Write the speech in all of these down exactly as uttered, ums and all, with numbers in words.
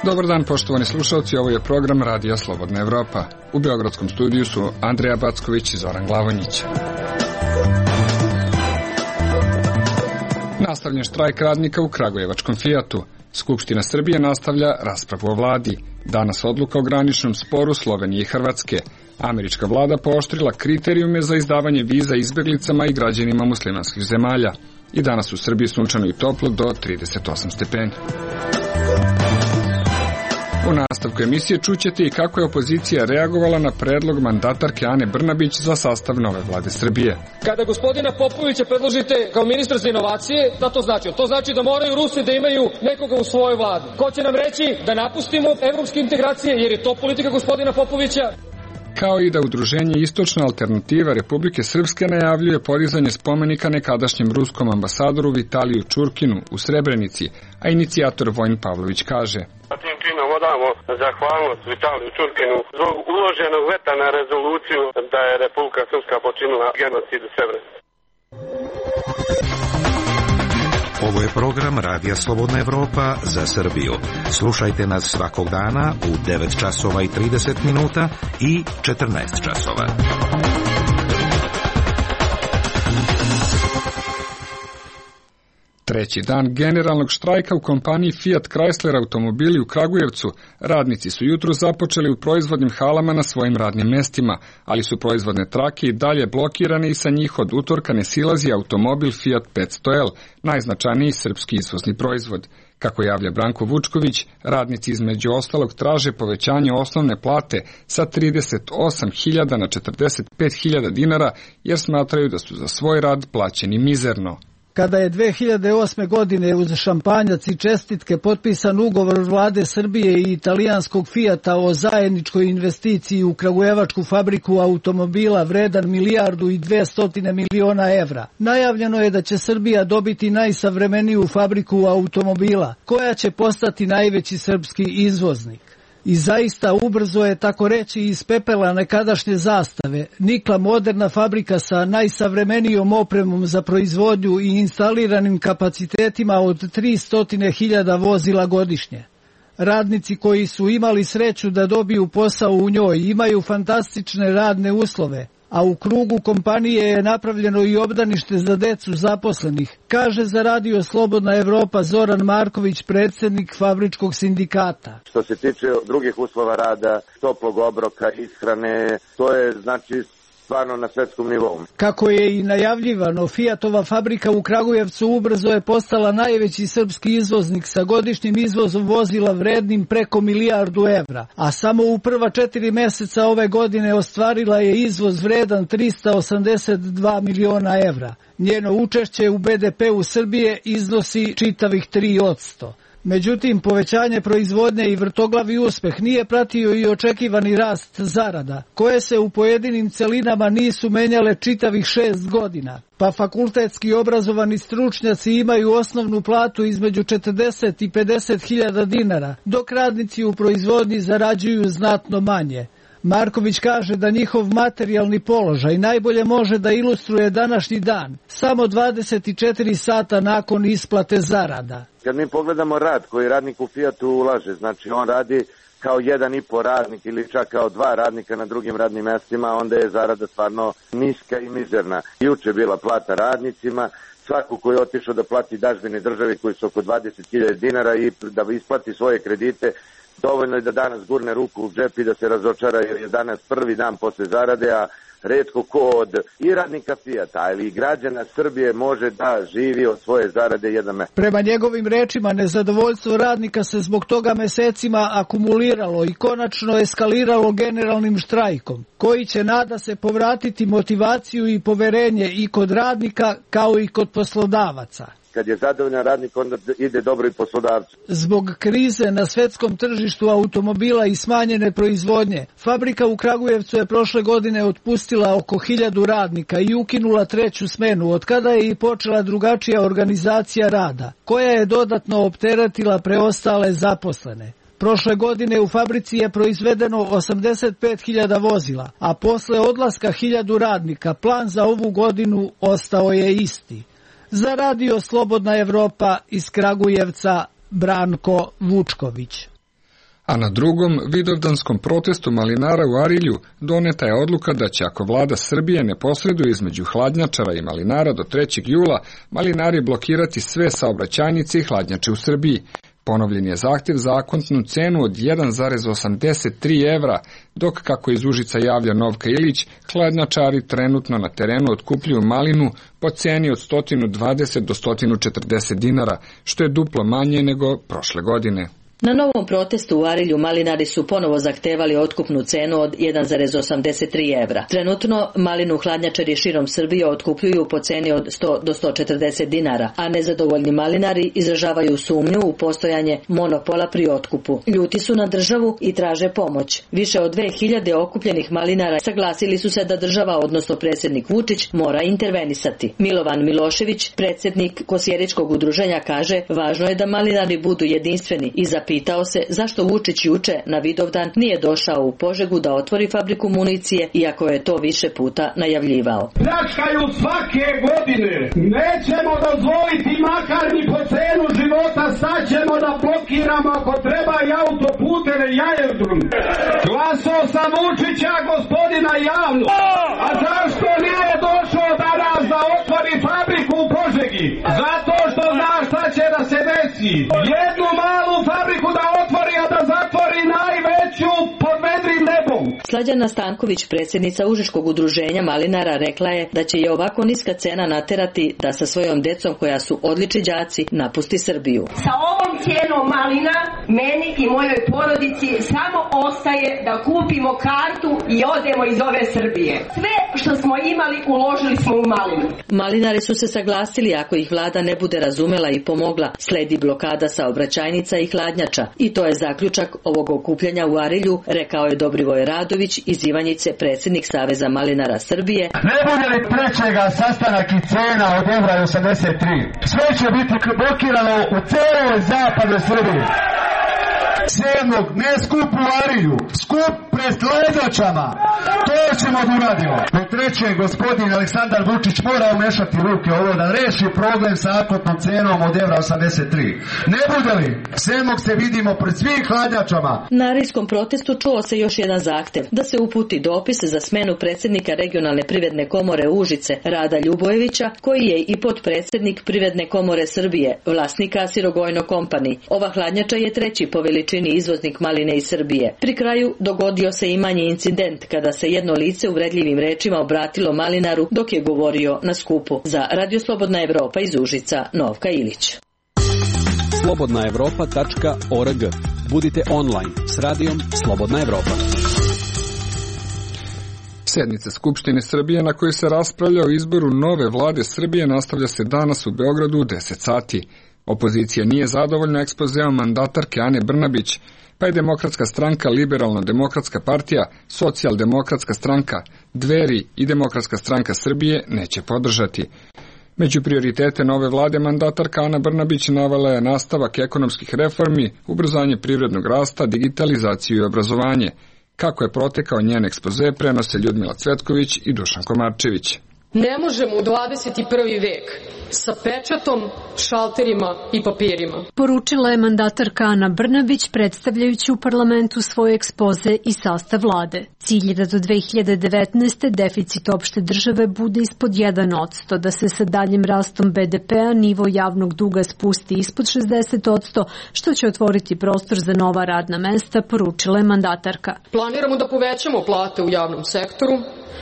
Dobar dan, poštovani slušalci, ovo je program Radija Slobodna Evropa. U beogradskom studiju su Andreja Backović i Zoran Glavonjić. Nastavljen štrajk radnika u kragujevačkom Fijatu. Skupština Srbije nastavlja raspravu o vladi. Danas odluka o graničnom sporu Slovenije i Hrvatske. Američka vlada pooštrila kriterijume za izdavanje viza izbeglicama i građanima muslimanskih zemalja. I danas u Srbiji sunčano i toplo do trideset osam stepeni. U nastavku emisije čućete i kako je opozicija reagovala na predlog mandatarke Ane Brnabić za sastav nove vlade Srbije. Kada gospodina Popovića predložite kao ministra za inovacije, da to znači? To znači da moraju Rusi da imaju nekoga u svojoj vladi. Ko će nam reći da napustimo evropske integracije, jer je to politika gospodina Popovića? Kao i da udruženje Istočna alternativa Republike Srpske najavljuje podizanje spomenika nekadašnjem ruskom ambasadoru Vitaliju Čurkinu u Srebrenici, a inicijator Vojin Pavlović kaže: Tim činom odamo zahvalnost Vitaliju Čurkinu zbog uloženog veta na rezoluciju da je Republika Srpska počinila genocid u Srebrenici. Ovo je program Radija Slobodna Evropa za Srbiju. Slušajte nas svakog dana u devet časova i trideset minuta i četrnaest časova. Treći dan generalnog štrajka u kompaniji Fiat Chrysler automobili u Kragujevcu, radnici su jutro započeli u proizvodnim halama na svojim radnim mestima, ali su proizvodne trake i dalje blokirane i sa njih od utorka ne silazi automobil Fiat petsto L, najznačajniji srpski izvozni proizvod. Kako javlja Branko Vučković, radnici između ostalog traže povećanje osnovne plate sa trideset osam hiljada na četrdeset pet hiljada dinara, jer smatraju da su za svoj rad plaćeni mizerno. Kada je dve hiljade osme. godine uz šampanjac i čestitke potpisan ugovor vlade Srbije i italijanskog Fijata o zajedničkoj investiciji u kragujevačku fabriku automobila vredan milijardu i dvestotine miliona evra, najavljeno je da će Srbija dobiti najsavremeniju fabriku automobila, koja će postati najveći srpski izvoznik. I zaista ubrzo je, tako reći, iz pepela nekadašnje zastave nikla moderna fabrika sa najsavremenijom opremom za proizvodnju i instaliranim kapacitetima od tristo hiljada vozila godišnje. Radnici koji su imali sreću da dobiju posao u njoj imaju fantastične radne uslove, a u krugu kompanije je napravljeno i obdanište za decu zaposlenih, kaže za Radio Slobodna Evropa Zoran Marković, predsjednik fabričkog sindikata. Što se tiče drugih uslova rada, toplog obroka, ishrane, to je znači stvarno na svetskom nivou. Kako je i najavljivano, Fijatova fabrika u Kragujevcu ubrzo je postala najveći srpski izvoznik sa godišnjim izvozom vozila vrednim preko milijardu evra, a samo u prva četiri meseca ove godine ostvarila je izvoz vredan trista osamdeset dva miliona evra. Njeno učešće u be de peu Srbije iznosi čitavih tri posto. Međutim, povećanje proizvodnje i vrtoglavi uspeh nije pratio i očekivani rast zarada, koje se u pojedinim celinama nisu menjale čitavih šest godina. Pa fakultetski obrazovani stručnjaci imaju osnovnu platu između četrdeset i pedeset hiljada dinara, dok radnici u proizvodnji zarađuju znatno manje. Marković kaže da njihov materijalni položaj najbolje može da ilustruje današnji dan, samo dvadeset četiri sata nakon isplate zarada. Kad mi pogledamo rad koji radnik u Fijatu ulaže, znači on radi kao jedan i po radnik ili čak kao dva radnika na drugim radnim mestima, onda je zarada stvarno niska i mizerna. Juče je bila plata radnicima, svako koji je otišao da plati dažbine državi koji su oko dvadeset hiljada dinara i da isplati svoje kredite, dovoljno je da danas gurne ruku u džep i da se razočara, jer je danas prvi dan posle zarade, a retko ko od i radnika Fijata, ali i građana Srbije može da živi od svoje zarade jedan mesec. Prema njegovim rečima, nezadovoljstvo radnika se zbog toga mesecima akumuliralo i konačno eskaliralo generalnim štrajkom, koji će, nada se, povratiti motivaciju i poverenje i kod radnika kao i kod poslodavaca. Kad je zadovoljan radnik, onda ide dobro i poslodavcu. Zbog krize na svetskom tržištu automobila i smanjene proizvodnje, fabrika u Kragujevcu je prošle godine otpustila oko hiljadu radnika i ukinula treću smenu, od kada je i počela drugačija organizacija rada, koja je dodatno opteretila preostale zaposlene. Prošle godine u fabrici je proizvedeno osamdeset pet hiljada vozila, a posle odlaska hiljadu radnika plan za ovu godinu ostao je isti. Za Radio Slobodna Evropa iz Kragujevca, Branko Vučković. A na drugom vidovdanskom protestu malinara u Arilju doneta je odluka da će, ako vlada Srbije ne posreduje između hladnjačara i malinara do trećeg jula, malinari blokirati sve saobraćajnice i hladnjače u Srbiji. Ponovljen je zahtjev za akontnu cenu od jedan zarez osamdeset tri evra, dok, kako iz Užica javlja Novka Ilić, hladnjačari trenutno na terenu otkupljuju malinu po ceni od sto dvadeset do sto četrdeset dinara, što je duplo manje nego prošle godine. Na novom protestu u Arilju malinari su ponovo zahtevali otkupnu cenu od jedan zarez osamdeset tri evra. Trenutno malinu hladnjačari širom Srbije otkupljuju po ceni od sto do sto četrdeset dinara, a nezadovoljni malinari izražavaju sumnju u postojanje monopola pri otkupu. Ljuti su na državu i traže pomoć. Više od dve hiljade okupljenih malinara saglasili su se da država, odnosno predsjednik Vučić, mora intervenisati. Milovan Milošević, predsjednik Kosjeričkog udruženja, kaže: važno je da malinari budu jedinstveni i za Pitao se zašto Vučić juče na Vidovdan nije došao u Požegu da otvori fabriku municije, iako je to više puta najavljivao. Pljačkaju svake godine. Nećemo dozvoliti makar ni po cenu života, sad ćemo da blokiramo ako treba i autoputeve i aerodrom. Glasao sam Vučića, gospodina, javno. A zašto nije došao danas da otvori fabriku u Požegi? Zato što zna šta će da se desi. Jednu malu fabriku da otvori, a da zatvori najveću pod vedrim nebom. Slađana Stanković, predsjednica Užičkog udruženja malinara, rekla je da će je ovako niska cena naterati da sa svojom decom, koja su odlični đaci, napusti Srbiju. Sa ovom cijenom malina meni i mojoj porodici samo ostaje da kupimo kartu i odemo iz ove Srbije. Sve što smo imali uložili smo u malinu. Malinari su se saglasili, ako ih vlada ne bude razumela i pomogla, sledi blokada saobraćajnica i hladnjača. I to je zaključak ovog okupljanja u Arilju, rekao je Dobrivoj Radović iz Ivanjice, predsjednik Saveza malinara Srbije. Ne bude li trećega sastanak i cena od evra osamdeset tri. Sve će biti blokirano u celoj zapadnoj Srbiji. Sedmog, ne skup u Arilju, skup pred hladnjačama. To ćemo da uradimo. Do treće, gospodin Aleksandar Vučić mora umešati ruke ovo da reši problem sa akotnom cenom od evra osamdeset tri. Ne bude li, sedmog se vidimo pred svim hladnjačama. Na arilskom protestu čuo se još jedan zahtev, da se uputi dopis za smenu predsjednika regionalne privredne komore Užice, Rada Ljubojevića, koji je i potpredsjednik Privredne komore Srbije, vlasnika Sirogojno Company. Ova hladnjača je treći po veličini izvoznik maline iz Srbije. Pri kraju dogodio se i manji incident kada se jedno lice uvredljivim rečima obratilo malinaru dok je govorio na skupu. Za Radio Slobodna Evropa iz Užica, Novka Ilić. slobodna evropa tačka org. Budite online s radijom Slobodna Evropa. Sjednica Skupštine Srbije na kojoj se raspravlja o izboru nove vlade Srbije nastavlja se danas u Beogradu u deset sati. Opozicija nije zadovoljna ekspozeom mandatarke Ane Brnabić, pa je Demokratska stranka, Liberalno-demokratska partija, Socijaldemokratska stranka, Dveri i Demokratska stranka Srbije neće podržati. Među prioritete nove vlade mandatarka Ana Brnabić navela je nastavak ekonomskih reformi, ubrzanje privrednog rasta, digitalizaciju i obrazovanje. Kako je protekao njen ekspoze, prenose Ljudmila Cvetković i Dušan Komarčević. Ne možemo u dvadeset prvi vek sa pečatom, šalterima i papirima. Poručila je mandatarka Ana Brnabić predstavljajući u parlamentu svoj ekspoze i sastav vlade. Cilj je da do dve hiljade devetnaeste. deficit opšte države bude ispod jedan posto, da se sa daljim rastom be de pea nivo javnog duga spusti ispod šezdeset posto, što će otvoriti prostor za nova radna mesta, poručila je mandatarka. Planiramo da povećamo plate u javnom sektoru,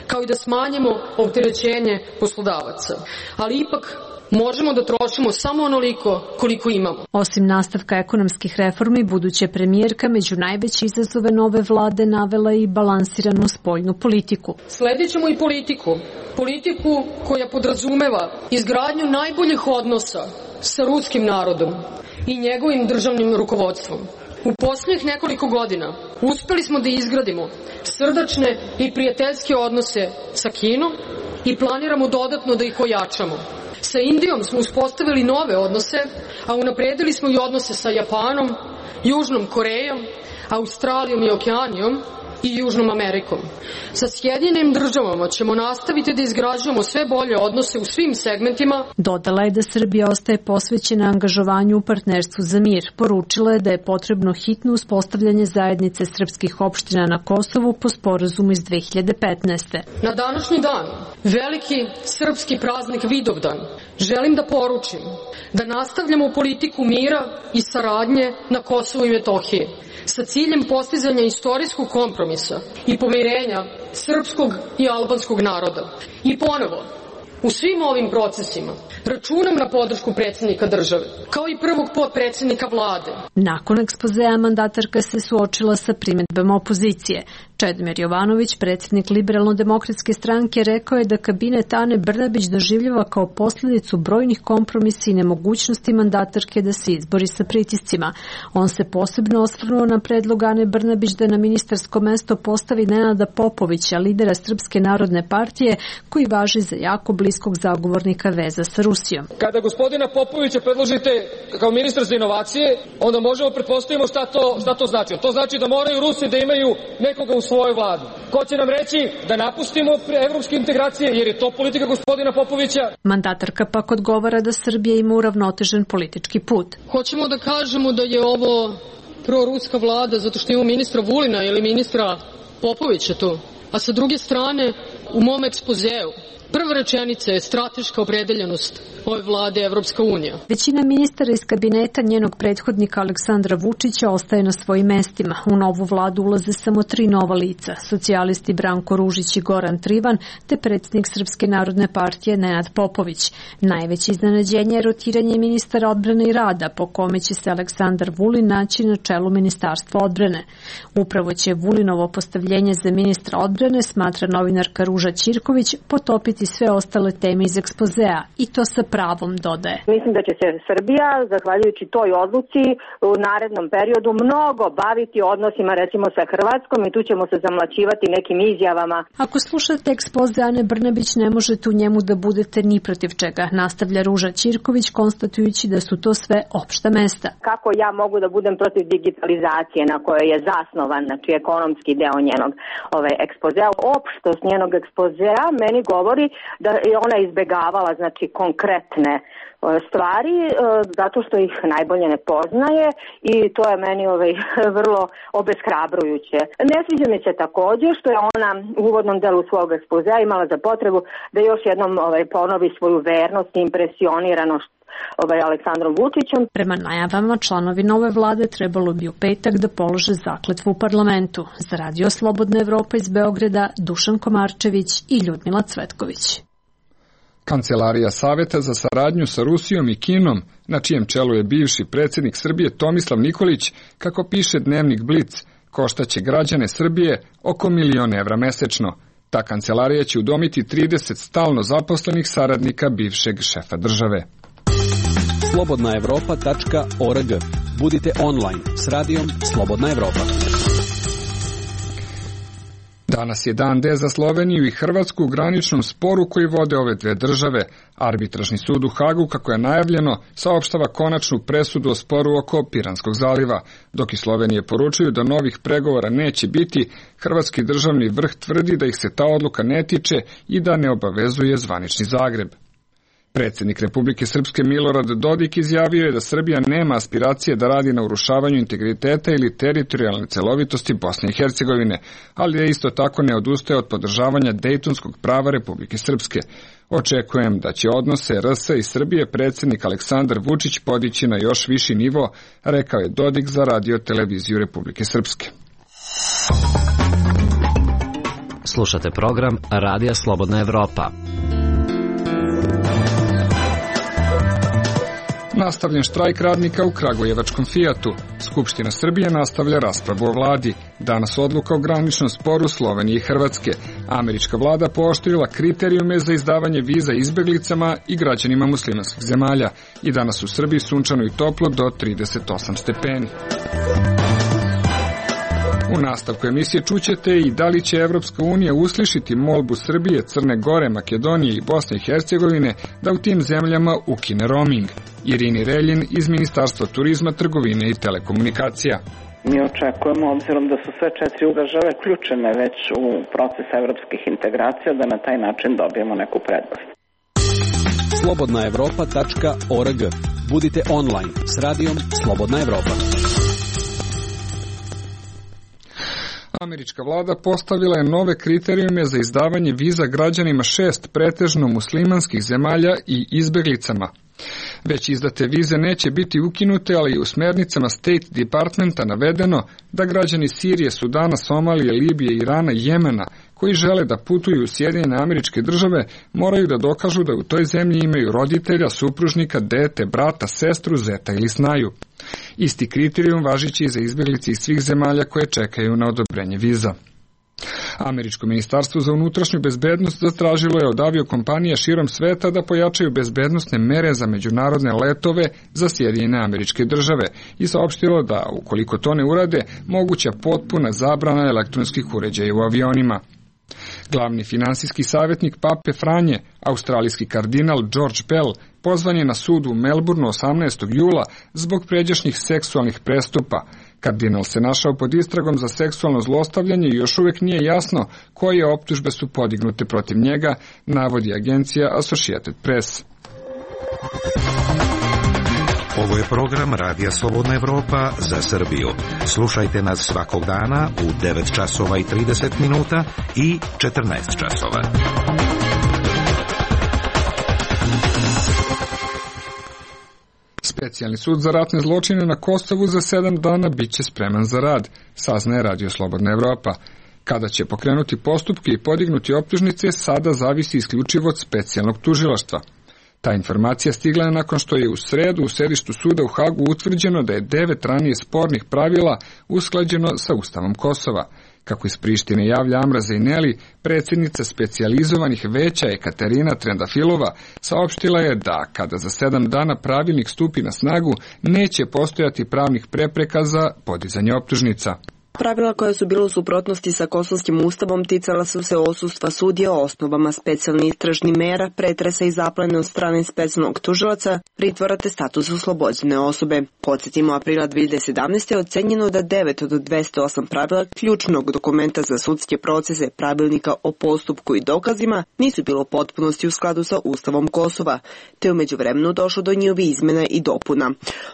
kao i da smanjimo opterećenje poslodavaca. Ali ipak možemo da trošimo samo onoliko koliko imamo. Osim nastavka ekonomskih reformi, buduća premijerka među najveće izazove nove vlade navela i balansiranu spoljnu politiku. Sledit ćemo i politiku. Politiku koja podrazumeva izgradnju najboljih odnosa sa ruskim narodom i njegovim državnim rukovodstvom. U posljednjih nekoliko godina uspeli smo da izgradimo srdačne i prijateljske odnose sa Kinom i planiramo dodatno da ih ojačamo. Sa Indijom smo uspostavili nove odnose, a unapredili smo i odnose sa Japanom, Južnom Korejom, Australijom i Okeanijom i Južnom Amerikom. Sa Sjedinjenim državama ćemo nastaviti da izgrađujemo sve bolje odnose u svim segmentima. Dodala je da Srbija ostaje posvećena angažovanju u partnerstvu za mir. Poručila je da je potrebno hitno uspostavljanje zajednice srpskih opština na Kosovu po sporazumu iz dve hiljade petnaeste. Na današnji dan, veliki srpski praznik Vidovdan, želim da poručim da nastavljamo politiku mira i saradnje na Kosovu i Metohiji sa ciljem postizanja istorijskog kompromisa i pomirenja srpskog i albanskog naroda. I ponovo, u svim ovim procesima računam na podršku predsjednika države, kao i prvog potpredsjednika vlade. Nakon ekspozea mandatarka se suočila sa primedbama opozicije. Čedomir Jovanović, predsjednik Liberalno-demokratske stranke, rekao je da kabinet Ane Brnabić doživljava kao posljedicu brojnih kompromisa i nemogućnosti mandatarke da se izbori sa pritiscima. On se posebno osvrnuo na predlog Ane Brnabić da na ministarsko mesto postavi Nenada Popovića, lidera Srpske narodne partije, koji važi za jako bliskog zagovornika veza sa Rusijom. Kada gospodina Popovića predložite kao ministar za inovacije, onda možemo pretpostavimo šta to, šta to znači. To znači da moraju Rusi da imaju nekoga u svojoj vladi. Ko će nam reći da napustimo evropske integracije, jer je to politika gospodina Popovića? Mandatarka pak odgovara da Srbija ima uravnotežen politički put. Hoćemo da kažemo da je ovo proruska vlada zato što ima ministra Vulina ili ministra Popovića tu. A sa druge strane, u mom ekspozeu prva rečenica je strateška opredeljenost ove vlade Evropska unija. Većina ministara iz kabineta njenog prethodnika Aleksandra Vučića ostaje na svojim mestima. U novu vladu ulaze samo tri nova lica, socijalisti Branko Ružić i Goran Trivan, te predsjednik Srpske narodne partije Nenad Popović. Najveće iznenađenje je rotiranje ministara odbrane i rada, po kome će se Aleksandar Vulin naći na čelu Ministarstva odbrane. Upravo će Vulinovo postavljenje za ministra odbrane, smatra novinarka Ruža Ćirković, potopiti sve ostale teme iz ekspozea, i to sa pravom, dodaje. Mislim da će se Srbija, zahvaljujući toj odluci, u narednom periodu mnogo baviti odnosima recimo sa Hrvatskom i tu ćemo se zamlaćivati nekim izjavama. Ako slušate ekspoze Ane Brnabić, ne možete u njemu da budete ni protiv čega, nastavlja Ruža Ćirković, konstatujući da su to sve opšta mesta. Kako ja mogu da budem protiv digitalizacije na kojoj je zasnovan, znači ekonomski deo njenog ove ekspozea, opštost njenog ekspozea meni govori da je ona izbegavala znači konkretne stvari zato što ih najbolje ne poznaje i to je meni ovaj, vrlo obeshrabrujuće. Ne sviđa mi se također što je ona u uvodnom delu svog ekspozea imala za potrebu da još jednom ovaj, ponovi svoju vernost i impresioniranost ovaj, Aleksandrom Vučićem. Prema najavama, članovi nove vlade trebalo bi u petak da polože zakletvu u parlamentu. Za Radio Slobodna Evropa iz Beograda, Dušan Komarčević i Ljudmila Cvetković. Kancelarija Saveta za saradnju sa Rusijom i Kinom, na čijem čelu je bivši predsjednik Srbije Tomislav Nikolić, kako piše dnevnik Blic, koštaće građane Srbije oko milion evra mesečno. Ta kancelarija će udomiti trideset stalno zaposlenih saradnika bivšeg šefa države. slobodna evropa tačka org. Budite online s radijom Slobodna Evropa. Danas je dan D za Sloveniju i Hrvatsku u graničnom sporu koji vode ove dve države. Arbitražni sud u Hagu, kako je najavljeno, saopštava konačnu presudu o sporu oko Piranskog zaliva. Dok i Slovenije poručuju da novih pregovora neće biti, hrvatski državni vrh tvrdi da ih se ta odluka ne tiče i da ne obavezuje zvanični Zagreb. Predsjednik Republike Srpske Milorad Dodik izjavio je da Srbija nema aspiracije da radi na urušavanju integriteta ili teritorijalne celovitosti Bosne i Hercegovine, ali je isto tako ne odustaje od podržavanja Dejtonskog prava Republike Srpske. Očekujem da će odnose R S i Srbije predsjednik Aleksandar Vučić podići na još viši nivo, rekao je Dodik za radio televiziju Republike Srpske. Slušate program Radija Slobodna Evropa. Nastavljen štrajk radnika u kragujevačkom Fijatu. Skupština Srbije nastavlja raspravu o vladi. Danas odluka o graničnom sporu Slovenije i Hrvatske. Američka vlada pooštrila kriterijume za izdavanje viza izbeglicama i građanima muslimanskih zemalja. I danas u Srbiji sunčano i toplo do trideset osam stepeni. U nastavku emisije čućete i da li će Evropska unija uslišiti molbu Srbije, Crne Gore, Makedonije i Bosne i Hercegovine da u tim zemljama ukine roaming. Irini Reljin iz Ministarstva turizma, trgovine i telekomunikacija. Mi očekujemo, obzirom da su sve četiri države uključene već u proces evropskih integracija, da na taj način dobijemo neku prednost. slobodna evropa tačka org. Budite online s radijom Slobodna Evropa. Američka vlada postavila je nove kriterijume za izdavanje viza građanima šest pretežno muslimanskih zemalja i izbeglicama. Već izdate vize neće biti ukinute, ali i u smernicama State Departmenta navedeno da građani Sirije, Sudana, Somalije, Libije, Irana i Jemena koji žele da putuju u Sjedinjene Američke Države moraju da dokažu da u toj zemlji imaju roditelja, supružnika, dete, brata, sestru, zeta ili snaju. Isti kriterijum važići i za izbeglice iz svih zemalja koje čekaju na odobrenje viza. Američko ministarstvo za unutrašnju bezbednost zatražilo je od aviokompanija širom sveta da pojačaju bezbednosne mere za međunarodne letove za Sjedinjene Američke Države i saopštilo da, ukoliko to ne urade, moguća potpuna zabrana elektronskih uređaja u avionima. Glavni finansijski savjetnik Pape Franje, australijski kardinal George Bell, pozvan je na sud u Melbourneu osamnaestog jula zbog pređašnjih seksualnih prestupa. Kardinal se našao pod istragom za seksualno zlostavljanje i još uvijek nije jasno koje optužbe su podignute protiv njega, navodi agencija Associated Press. Ovo je program Radija Slobodna Evropa za Srbiju. Slušajte nas svakog dana u devet časova i trideset minuta i četrnaest časova. Specijalni sud za ratne zločine na Kosovu za sedam dana bit će spreman za rad, saznaje Radio Slobodna Evropa. Kada će pokrenuti postupke i podignuti optužnice, sada zavisi isključivo od specijalnog tužilaštva. Ta informacija stigla je nakon što je u sredu u sedištu suda u Hagu utvrđeno da je devet ranije spornih pravila usklađeno sa Ustavom Kosova. Kako iz Prištine javlja Amra Zejneli, predsjednica specijalizovanih veća Ekaterina Trendafilova, saopštila je da, kada za sedam dana pravilnik stupi na snagu, neće postojati pravnih prepreka za podizanje optužnica. Pravila koja su bila u suprotnosti sa kosovskim ustavom ticala su se odsustva sudija o osnovama specijalnih istražnih mera, pretresa i zaplene od strane specijalnog tužilaca, pritvora te statusu oslobođene osobe. Podsjetimo, aprila dve hiljade sedamnaeste. ocenjeno da devet od dvesta osam pravila ključnog dokumenta za sudske procese pravilnika o postupku i dokazima nisu bilo u potpunosti u skladu sa ustavom Kosova, te u međuvremenu došlo do njihovih izmena i dopuna.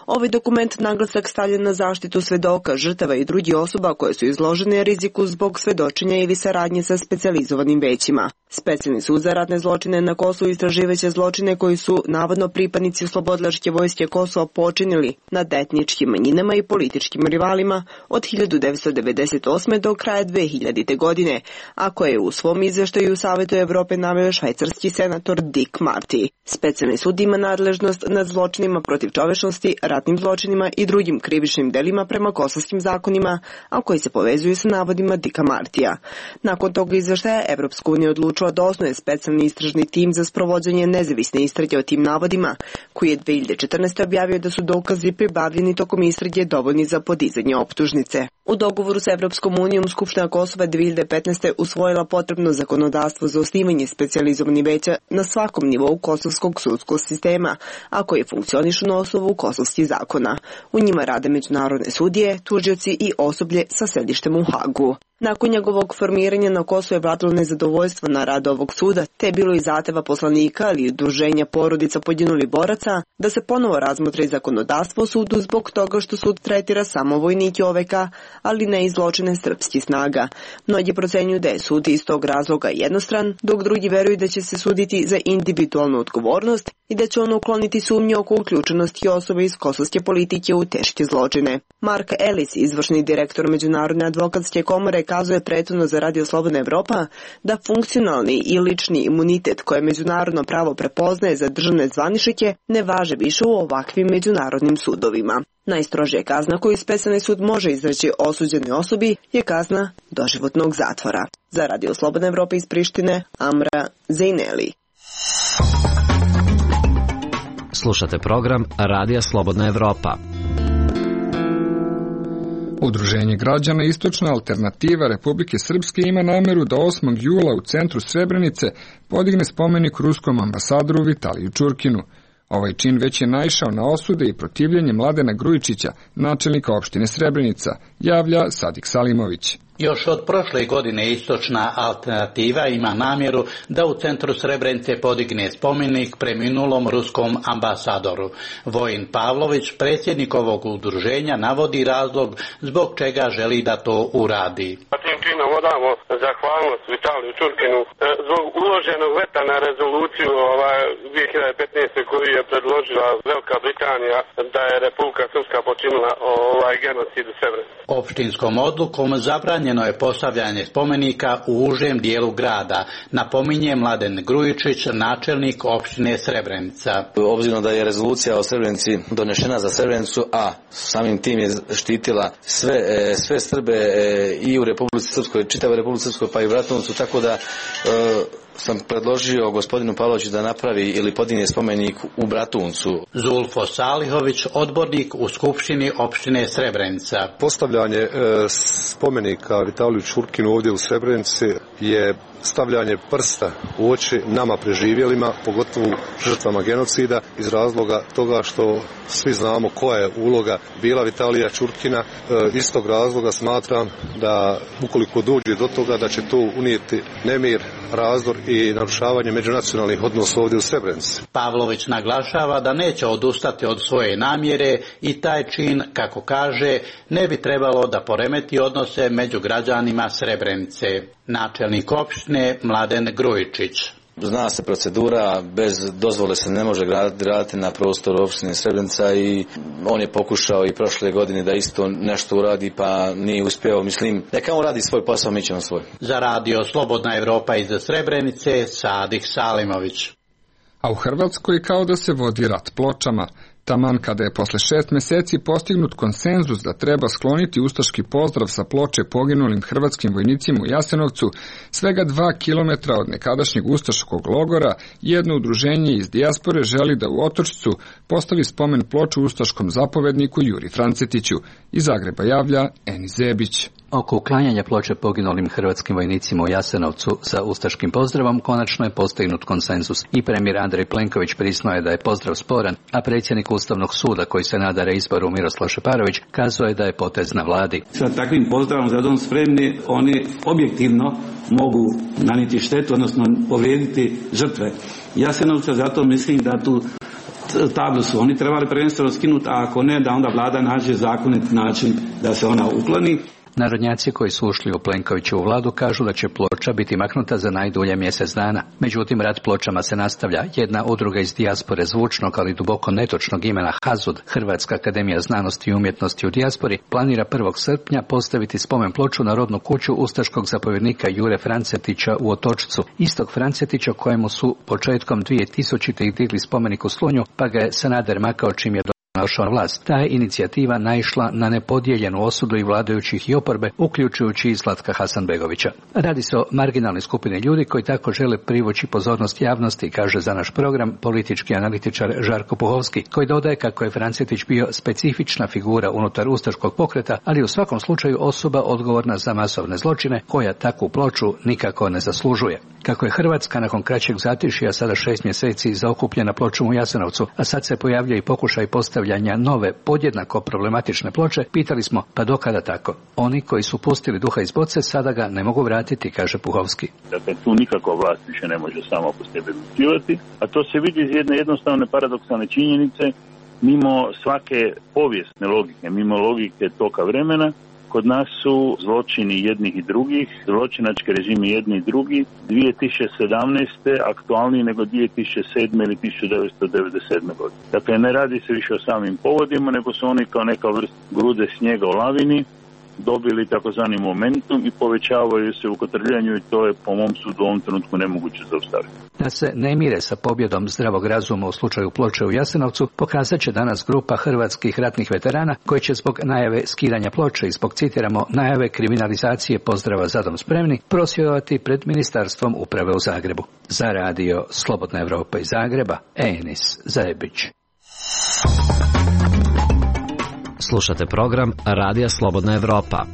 Ovaj dokument naglasak stavlja na zaštitu svedoka, žrtava i drugih osoba koje su izložene riziku zbog svedočenja ili saradnje sa specijalizovanim većima. Specijalni sud za ratne zločine na Kosovu istraživaće zločine koji su navodno pripadnici oslobodilačke vojske Kosova počinili nad etničkim manjinama i političkim rivalima od hiljadu devetsto devedeset osme. do kraja dve hiljadite. godine, a koje je u svom izveštaju u Savetu Evrope naveo švajcarski senator Dick Marty. Specijalni sud ima nadležnost nad zločinima protiv čovečnosti, ratnim zločinima i drugim krivičnim delima prema kosovskim zakonima, a koji se povezuju sa navodima Dicka Martija. Nakon toga izveštaja Evropska unija odlučila da osnuje specijalni istražni tim za sprovođenje nezavisne istrage o tim navodima, koji je dve hiljade četrnaeste. objavio da su dokazi pribavljeni tokom istrage dovoljni za podizanje optužnice. U dogovoru sa Evropskom unijom Skupština Kosova dve hiljade petnaeste. usvojila potrebno zakonodavstvo za osnivanje specijalizovanih veća na svakom nivou kosovskog sudskog sistema, a koji funkcionišu na osnovu kosovskih zakona. U njima rade međunarodne sudije, tužioci i osoblje sa sedištem u Hagu. Nakon njegovog formiranja na Kosovu je vladalo nezadovoljstvo na rad ovog suda, te je bilo i zahteva poslanika ali i udruženja porodica poginulih boraca da se ponovo razmotri zakonodavstvo o sudu zbog toga što sud tretira samo vojnike O V K, ali ne i zločine srpskih snaga. Mnogi procenjuju da je sud iz tog razloga jednostran, dok drugi veruju da će se suditi za individualnu odgovornost i da će on ukloniti sumnje oko uključenosti osobe iz kosovske politike u teške zločine. Mark Ellis, izvršni direktor Međunarodne advokatske komore, kazuje prethodno za Radio Slobodna Evropa da funkcionalni i lični imunitet koje međunarodno pravo prepoznaje za državne zvaničnike ne važe više u ovakvim međunarodnim sudovima. Najstrožija kazna koju specijalni sud može izreći osuđenoj osobi je kazna doživotnog zatvora. Za Radio Slobodna Evropa iz Prištine, Amra Zejneli. Slušate program Radija Slobodna Evropa. Udruženje građana Istočna alternativa Republike Srpske ima nameru da osmog jula u centru Srebrenice podigne spomenik ruskom ambasadoru Vitaliju Čurkinu. Ovaj čin već je naišao na osude i protivljenje Mladena Grujičića, načelnika opštine Srebrenica, javlja Sadik Salimović. Još od prošle godine Istočna alternativa ima namjeru da u centru Srebrenice podigne spomenik preminulom ruskom ambasadoru. Vojin Pavlović, predsjednik ovog udruženja, navodi razlog zbog čega želi da to uradi. Tim činom odamo zahvalnost Vitaliju Čurkinu zbog uloženog veta na rezoluciju ovaj, dvije hiljade petnaeste koju je predložila Velika Britanija da je Republika Srpska počinila ovaj genocid u Srebrenici. Opštinskom odlukom zabranjeno je postavljanje spomenika u užem dijelu grada, napominje Mladen Grujičić, načelnik opštine Srebrenica. Obzirom da je rezolucija o Srebrenici donešena za Srebrenicu, a samim tim je štitila sve, sve Srbe i u Republici Srpskoj, čitavoj Republici Srpskoj pa i u Bratuncu, tako da e, sam predložio gospodinu Pavloviću da napravi ili podigne spomenik u Bratuncu. Zulfo Salihović, odbornik u Skupštini opštine Srebrenica. Postavljanje e, spomenika Vitaliju Čurkinu ovdje u Srebrenici je stavljanje prsta u oči nama preživjelima, pogotovo žrtvama genocida, iz razloga toga što svi znamo koja je uloga bila Vitalija Čurkina. E, iz tog razloga smatram da ukoliko dođe do toga da će to unijeti nemir, razdor i narušavanje međunacionalnih odnosa ovdje u Srebrenici. Pavlović naglašava da neće odustati od svoje namjere i taj čin, kako kaže, ne bi trebalo da poremeti odnose među građanima Srebrenice. Načelnik opštine Mladen Grujičić. Zna se procedura, bez dozvole se ne može graditi na prostoru opštine Srebrenica i on je pokušao i prošle godine da isto nešto uradi pa nije uspio. Mislim, neka on radi svoj posao, mi ćemo svoj. Za radio Slobodna Evropa iz Srebrenice, Sadik Salimović. A u Hrvatskoj kao da se vodi rat pločama. Taman kada je posle šest meseci postignut konsenzus da treba skloniti ustaški pozdrav sa ploče poginulim hrvatskim vojnicima u Jasenovcu, svega dva kilometra od nekadašnjeg ustaškog logora, jedno udruženje iz dijaspore želi da u Otočcu postavi spomen ploču ustaškom zapovedniku Juri Francetiću. Iz Zagreba javlja Eni Zebić. Oko uklanjanja ploče poginulim hrvatskim vojnicima u Jasenovcu sa ustaškim pozdravom konačno je postignut konsenzus. I premijer Andrej Plenković priznao je da je pozdrav sporan, a predsjednik Ustavnog suda koji se nada reizboru Miroslav Šeparović kazao je da je potez na vladi. Sa takvim pozdravom za dom spremni oni objektivno mogu nanijeti štetu, odnosno povrijediti žrtve Jasenovca, zato mislim da tu tablu su oni trebali prvenstveno skinuti, a ako ne, da onda vlada nađe zakonit način da se ona ukloni. Narodnjaci koji su ušli u Plenkovićevu vladu kažu da će ploča biti maknuta za najdulje mjesec dana. Međutim, rat pločama se nastavlja. Jedna udruga iz dijaspore zvučnog, ali duboko netočnog imena Hazud, Hrvatska akademija znanosti i umjetnosti u dijaspori, planira prvog srpnja postaviti spomen ploču na rodnu kuću ustaškog zapovjednika Jure Francetića u Otočcu. Istog Francetića kojemu su početkom dvije tisućite digli spomenik u Slunju, pa ga je Sanader makao čim je došao na vlast. Ta je inicijativa naišla na nepodijeljenu osudu i vladajućih i oporbe, uključujući i Zlatka Hasanbegovića. Radi se o marginalnoj skupini ljudi koji tako žele privući pozornost javnosti, kaže za naš program politički analitičar Žarko Puhovski, koji dodaje kako je Francetić bio specifična figura unutar ustaškog pokreta, ali u svakom slučaju osoba odgovorna za masovne zločine, koja takvu ploču nikako ne zaslužuje. Kako je Hrvatska nakon kraćeg zatišja sada šest mjeseci zaokupljena pločom u Jasenovcu, a sad se pojavlja i pokušaj postavljanja nove, podjednako problematične ploče, pitali smo pa dokada tako? Oni koji su pustili duha iz boce sada ga ne mogu vratiti, kaže Puhovski. Dakle, tu nikakva vlast više ne može sama po sebi odlučivati, a to se vidi iz jedne jednostavne paradoksalne činjenice, mimo svake povijesne logike, mimo logike toka vremena. Kod nas su zločini jednih i drugih, zločinački režimi jedni i drugi, dvije tisuće sedamnaeste aktualniji nego dvije tisuće sedme ili tisuće devetsto devedeset sedme godine. Dakle, ne radi se više o samim povodima, nego su oni kao neka vrsta grude snijega u lavini dobili takozvani momentum i povećavaju se u kotrljanju i to je po mom sudu u ovom trenutku nemoguće zaustaviti. Da se ne mire sa pobjedom zdravog razuma u slučaju ploče u Jasenovcu, pokazat će danas grupa hrvatskih ratnih veterana koji će zbog najave skidanja ploče i zbog, citiramo, najave kriminalizacije pozdrava za dom spremni prosvjedovati pred Ministarstvom uprave u Zagrebu. Za radio Slobodna Evropa iz Zagreba, Enis Zajebić. Slušate program Radija Slobodna Evropa.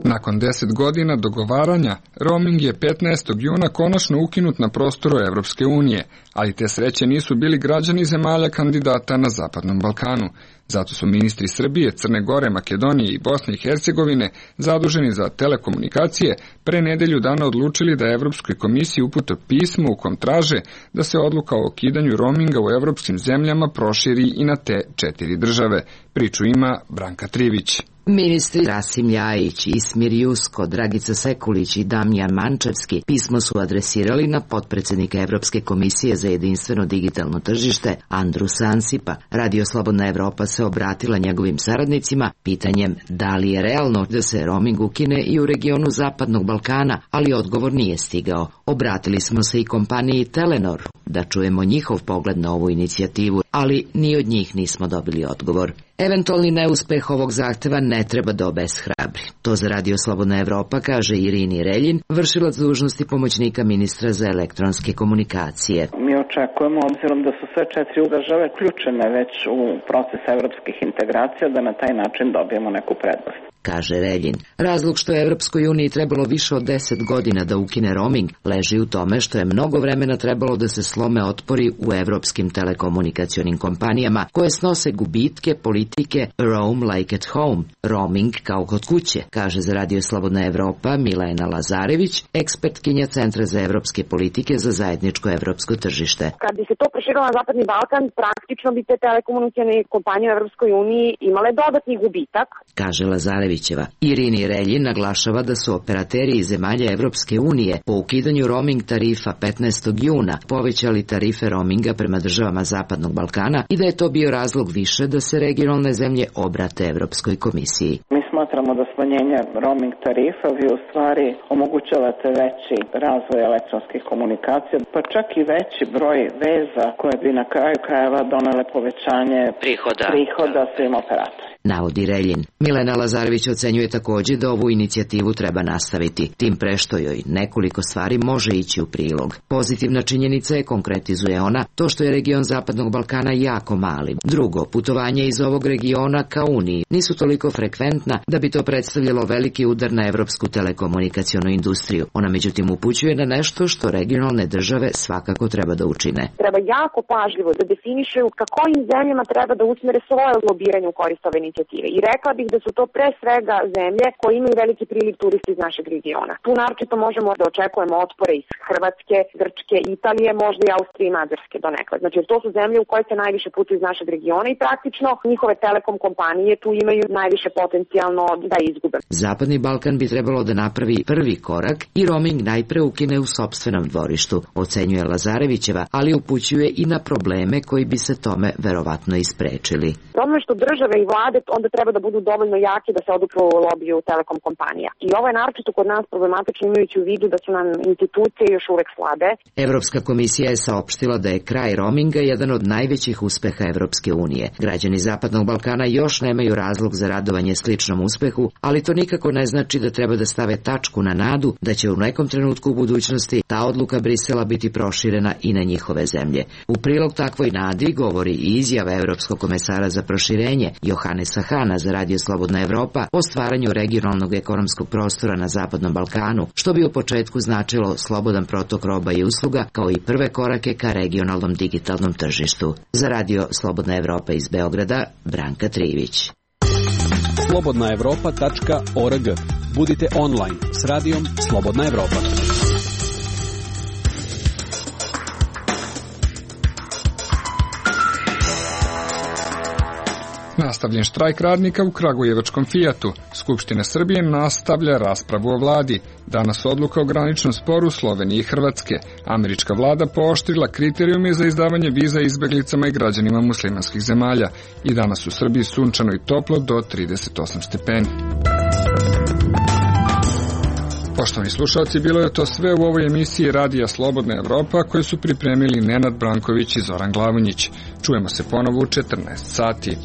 Nakon deset godina dogovaranja, roaming je petnaestog juna konačno ukinut na prostoru Evropske unije, ali te sreće nisu bili građani zemalja kandidata na Zapadnom Balkanu. Zato su ministri Srbije, Crne Gore, Makedonije i Bosne i Hercegovine, zaduženi za telekomunikacije, pre nedelju dana odlučili da Evropskoj komisiji upute pismo u kom traže da se odluka o ukidanju roaminga u evropskim zemljama proširi i na te četiri države. Priču ima Branka Trivić. Ministri Rasim Ljajić, Ismir Jusko, Dragica Sekulić i Damjan Mančevski pismo su adresirali na potpredsednika Evropske komisije za jedinstveno digitalno tržište Andrusa Ansipa. Radio Slobodna Evropa se obratila njegovim saradnicima pitanjem da li je realno da se roaming ukine i u regionu Zapadnog Balkana, ali odgovor nije stigao. Obratili smo se i kompaniji Telenor da čujemo njihov pogled na ovu inicijativu, ali ni od njih nismo dobili odgovor. Eventualni neuspeh ovog zahteva ne treba da obeshrabri. To za Radio Slobodna Evropa kaže Irini Reljin, vršilac dužnosti pomoćnika ministra za elektronske komunikacije. Mi očekujemo, obzirom da su sve četiri države ključene već u proces evropskih integracija, da na taj način dobijemo neku prednost, kaže Reljin. Razlog što je Evropskoj uniji trebalo više od deset godina da ukine roaming leži u tome što je mnogo vremena trebalo da se slome otpori u evropskim telekomunikacionim kompanijama koje snose gubitke politike Roam like at home, roaming kao kod kuće, kaže za Radio Slobodna Evropa Milena Lazarević, ekspertkinja Centra za evropske politike za zajedničko evropsko tržište. Kad bi se to proširilo na Zapadni Balkan, praktično bi te telekomunikacione kompanije u Evropskoj uniji imale dodatni gubitak, kaže Lazarevićeva. Irini Reljin naglašava da su operateri iz zemalja Evropske unije po ukidanju roaming tarifa petnaestog juna povećali tarife roaminga prema državama Zapadnog Balkana i da je to bio razlog više da se regionalne zemlje obrate Evropskoj komisiji. Mi smatramo da smanjenje roaming tarifa vi u stvari omogućavate veći razvoj elektronskih komunikacija, pa čak i veći broj veza koje bi na kraju krajeva donele povećanje prihoda, prihoda svim operatorima, navodi Reljin. Milena Lazarević ocenjuje takođe da ovu inicijativu treba nastaviti, tim pre što joj nekoliko stvari može ići u prilog. Pozitivna činjenica je, konkretizuje ona, to što je region Zapadnog Balkana jako mali. Drugo, putovanje iz ovog regiona ka Uniji nisu toliko frekventna da bi to predstavljalo veliki udar na evropsku telekomunikacionu industriju. Ona međutim upućuje na nešto što regionalne države svakako treba da učine. Treba jako pažljivo da definišu ka kojim zemljama treba da usmere svoje lobiranje u korist ove inicijative. I rekla bih da su to pre svega zemlje koje imaju veliki priliv turista iz našeg regiona. Tu naročito možemo da očekujemo otpore iz Hrvatske, Grčke, Italije, možda i Austrije i Mađarske donekle. Znači, to su zemlje u koje se najviše putuju iz našeg regiona i praktično njihove telekom kompanije tu imaju najviše potencijalno da izgube. Zapadni Balkan bi trebalo da napravi prvi korak i roaming najpre ukine u sopstvenom dvorištu, ocenjuje Lazarevićeva, ali upućuje i na probleme koji bi se tome verovatno isprečili. Ono što države i vlade onda treba da budu dovoljno jaki da se odupru lobiju telekom kompanija. I ovo je naročito kod nas problematično imajući u vidu da su nam institucije još uvek slabe. Evropska komisija je saopštila da je kraj roaminga jedan od najvećih uspeha Evropske unije. Građani Zapadnog Balkana još nemaju razlog za radovanje sličnom uspehu, ali to nikako ne znači da treba da stave tačku na nadu da će u nekom trenutku u budućnosti ta odluka Brisela biti proširena i na njihove zemlje. U prilog takvoj nadi govori i izjava Evropskog komesara za proširenje Johannesa Hana za Radio Slobodna Evropa o stvaranju regionalnog ekonomskog prostora na Zapadnom Balkanu, što bi u početku značilo slobodan protok roba i usluga kao i prve korake ka regionalnom digitalnom tržištu. Za Radio Slobodna Evropa iz Beograda, Branka Trivić. slobodna evropa tačka org. Budite online s radijom Slobodna Evropa. Nastavljen štrajk radnika u kragujevačkom Fijatu. Skupština Srbije nastavlja raspravu o vladi. Danas odluka o graničnom sporu Slovenije i Hrvatske. Američka vlada pooštrila kriterijume za izdavanje viza izbeglicama i građanima muslimanskih zemalja. I danas u Srbiji sunčano i toplo do trideset osam stepeni. Poštovani slušalci, bilo je to sve u ovoj emisiji Radija Slobodna Evropa koju su pripremili Nenad Branković i Zoran Glavonjić. Čujemo se ponovo u četrnaest sati.